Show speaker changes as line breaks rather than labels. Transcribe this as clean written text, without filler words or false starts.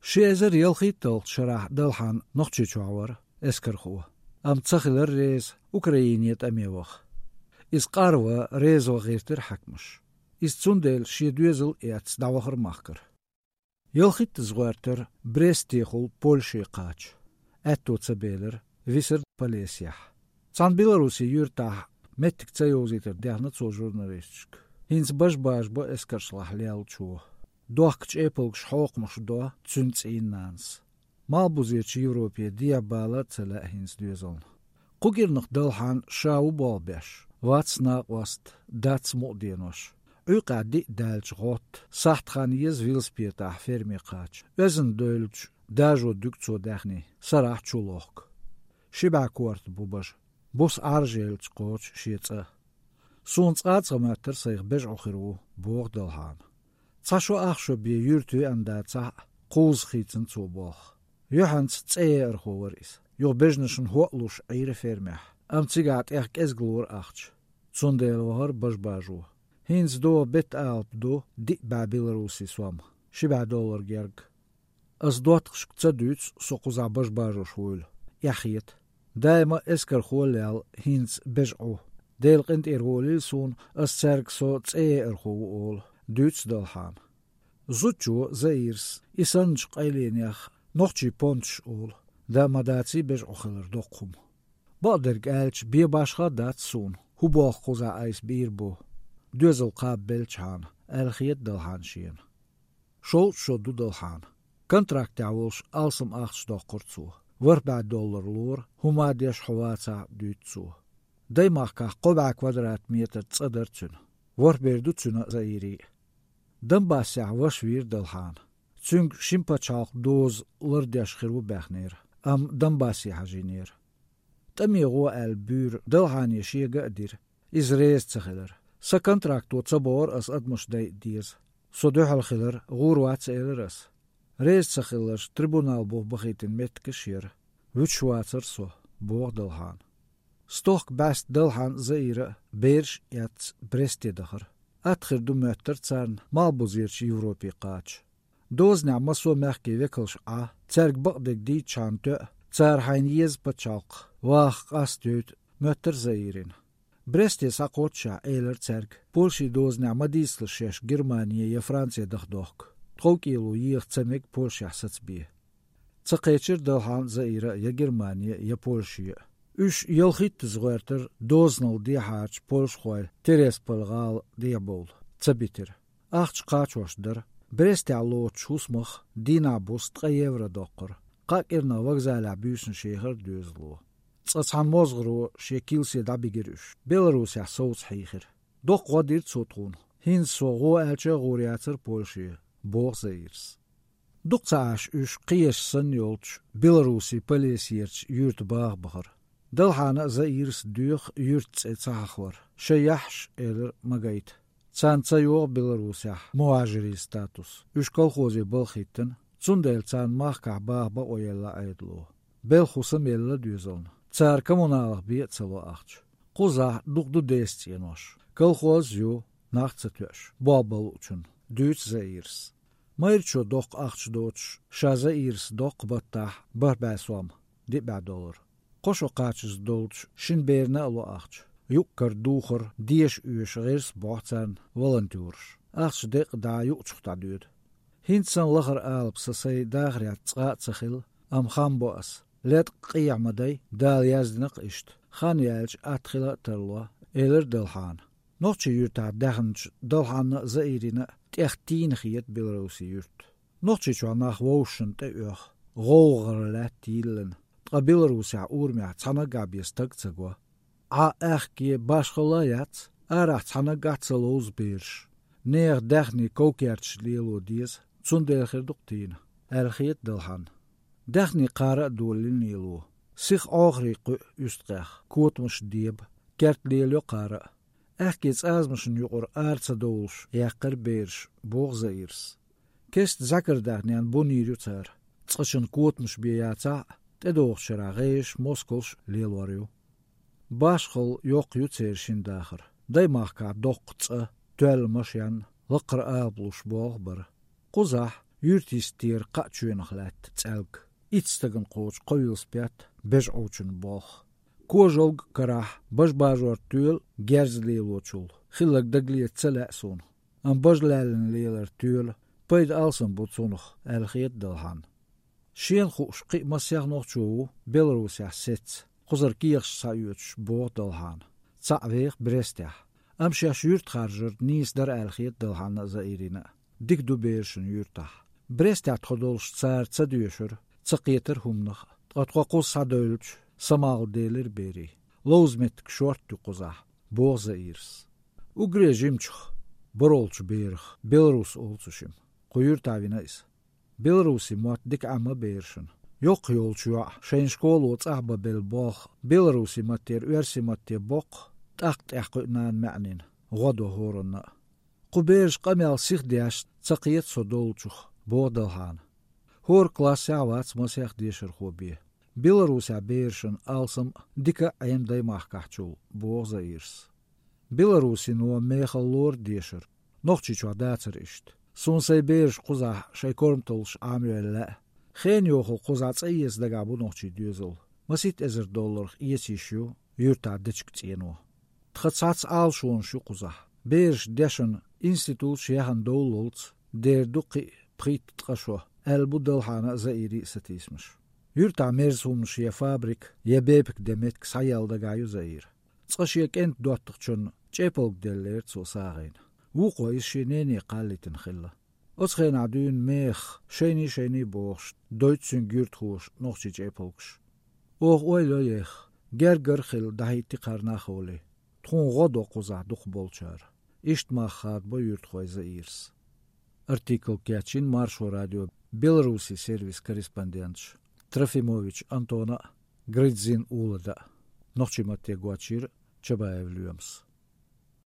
شيزر يلخيتل شرح دلحان نقشي شعور اسكرخوه ام تخلر ريز اوكراينيت اميوخ إس قاروا ريز وغيرتر حكمش إس تسوندل شي دوزل إياتس داوخر ماخكر يلخيت زغارتر بريستيخل بولشي قاچ أتو تسبيلر ويسر باليسيح تسان بيلاروسي يورتاح متك تسيوزيتر ديحنا تسو جورناليستشك هينس باش با اسكرشلاح ليال چوه دوخكش ايبلكش حوقمش دو تسنتسين نانس مالبوزيتش يوروبيا ديابالا تسلا هينس دوزل قوغيرنخ دلحان شاو بالبيش واتسنا وست داتس مؤدينوش قادي دالش غوت ساحت خانيز ويلسبيتاح فيرمي قاچ وزن دولج داجو دكتسو داخني سراح چولوخك شبع كورت بوباش بوس ارجيلچ قوچ شيتسا سونس قاتسماتر سيغ بجعو خيرو بوغ دلحان تساشو اخشو بي يورتو انداتسا قوز خيتن توبوخ يوحنس تسير خوريس يو بجنشن هوقلوش عير فيرميح ام تيغات اخك ازغلور اخش تسونديل وهر باجو هينز دو بيت ألب دو دي بابيلاروسي سوام $7 جرج أز دواتخش تصدوتس سوقوزا باجو شويل يحيت دايما اسكر خوليال هينز بجعو ديل قنت إرغولي سون أز سرق سو تسئي إرغو أول دوتس دلحان زوتشو زيرس إسانج قيلين يخ نوخشي بونتش أول دا مداتي بجعو خلر دوقهم بقدرق آلش بي باشخا دات سون هو باخ خوزا ايس بيربو دوزل قاب بلچان الخيت دلحان شين شو دو دلحان كونتراكت عولش ألسم أخش دوقرتسو $4 لور هما ديش حواتسا دوتسو دايما قبع كوادرات متر تصدرتسن وربيردو تسنا زايري دنباسع وشوير دلحان تسنگ شمپا چاق دوز لرديش خيرو بخنير ام دنباسي حجينير تميغو البور دلحان يشي قادر إزريز تخلر سكونتراكتو تصبور أس أدمش ديز صدوح الخلر غور واتس إلرس ريز تخلرش تريبونال بوغ بخيتن متكشير وچواتر سو بوغ دلحان ستوخ باست دلحان زيرة بيرش ياتس بريستي دخر أدخر دو متر تسان مالبوزيرش يوروبي قاچ دوز نعم سو مخكي وكلش تسرق بقدك دي چانتو تسار حينيز بچاق واخ قاستوت متر زيرين بريستي ساقوتشا ايلر تسرق بولشي دوز نعم ديسلشيش جرمانيا يا فرانسيا دخدوخك تخوكيلو يخ تسمك بولشي حسد بيه تسقيتشر دلحان زيرة يا جرمانيا يا بولشي اش يلخيت تزغيرتر دوزنل دي حاج بولش خويل تيريس بلغال ديابول تسبيتر اخش قاچوش در بريستي علو تشوسمخ دينا بوست €3 دوقر قاكرنا وغزالا بيوسن شيخر دوزلو تصحان موزغرو شيكيل سيدا بيجرش بيلاروس يحصوت حيخر دوق ودير تسوتون هين سوغو الچه غورياتر بولشي بوغ زيرس دوق تعاش اش قيش سن يولش بيلاروسي بليسيرش يورت باغ بخر دلحانا زيرس دوخ يورت تساخور شيحش إلر مغايت تسان تسيوغ بيلاروسيح مواجري ستاتوس اش كالخوزي بالخيتن تسوندل تسان ماخكع باغ باويلا ايدلو بالخوسم يلا دوزون تسار كمونالغ بيتسلو اخش قوزا دوغدو ديستينوش كالخوز يو ناختساتوش بابل uchun دوتس زيرس مايرچو دوق اخش دوتش شازا ايرس دوق بطاح برباسوام $10 قوشو قاچز دولش شن بيرنا الو اخش يوكر دوخر ديش اوش غيرس بوحتان volunteers اخش ديق دا يوچختا دود هينسان لخر آلب سسي داغريات تسقاط سخيل ام خام بوأس لات قيع مدي دال يازدنق اشت خان يالج اتخلا ترلوا إلر دلحان نوچي يورتا داخنج دلحان زائرين تيختين خيت بيلاروسي يورت نوچي چواناخ ووشن تأيوخ غوغر لات تيلن بيلاروسي اورميع تسانا قابيس تقتقوا اخكي باشخلايات ارح تسانا قاتسلوز بيرش نير داخني كوكيرتش ليلو ديز تسوندل خير دقتين الخيت دلحان داخني قارئ دولين نيلو سيخ آغريق يستقاخ كوت مش ديب كارت ليلو قارئ احكيت ازمشن يقر ارتسا دولش يقر بيرش بوغ زيرس كست ذكر داخنيان بونيريو تار تسقشن كوت مش بياتا تدوغ شراغيش موسكولش ليلوريو باشخل يوق يوتسيرشين داخر دايماخ كا دوق تسا توال مشيان لقر آبلوش بوغ بر قزح Юртистир қачуенахлат цалг. Ицтаган қоч қойылспят беж оучын бох. Кожолг карах бажбажуар тюл герзлейлочул. Хилаг даглиет цаласон. Ан бажлален лейлер тюл. Пайд алсан буцунах алхиет далхан. Шен хуш қи масяг нохчуу Беларусия сец. Хузар киях саюч бог далхан. Цавех Брестях. Амшаш юрт харжыр низ дар алхиет далхан заирина. Дик дубершн юртах. Брестях тходолш цар цадюшер. Цақиетер хумнах. Атқақус садөлч. Самал делер бери. Лоузметк шорт тюқуза. Бог заирс. Угрежимчх. Боролч берх. Беларус олцушим. Қойыртавинайс. Беларуси мот дик ама бершин. Йоқ йолчуа. Шейн школу цахба бел бог. Беларуси матер уерси матер бог. Тахт яқуйнан мәнин. Ғоду хорына. Қуберш қамял сихдяш цақиет содолчух. Бодалхан. Хор класс явац масях дешер хоби. Беларуся бершин алсам дика аймдай махкахчул. Бог заирс. Беларуси нуа мехал лор дешер. Нохчичуа дацер ишт. Сунсай берш қуза шайкормтолш амюэллә. Хен йоху қуза цайес дагабу нохчи дюзыл. Масит $10 иесишу юрта дичк цену. Тхацац алшуон шу қуза. Берш дешен институт шехан доулолц дер дуқи прит тқашо. Әлбу далхана заири сатисмыш. Юрта мерзум шия фабрик ебепк деметк саял дагаю заир. Цқашиек энт дуаттықчун чеполк деллер цусағайн. وقو إشينيني قالتن خلا. أسخين عدون ميخ شيني بوخش دويتسن جيرتخوش نوخشي جيبولكش. أويلو يخ جرجر خل دهيتي قرناخولي. تخون غدو قزع دوخ بولشار. إشت ما خاد بو يرتخوي زايرس. Артикл Кячин Маршо радио Беларуси сервис корреспондентш Трофимович Антона Гридзин Улада. Нохчиматте Гуачир Чабаев Люемс.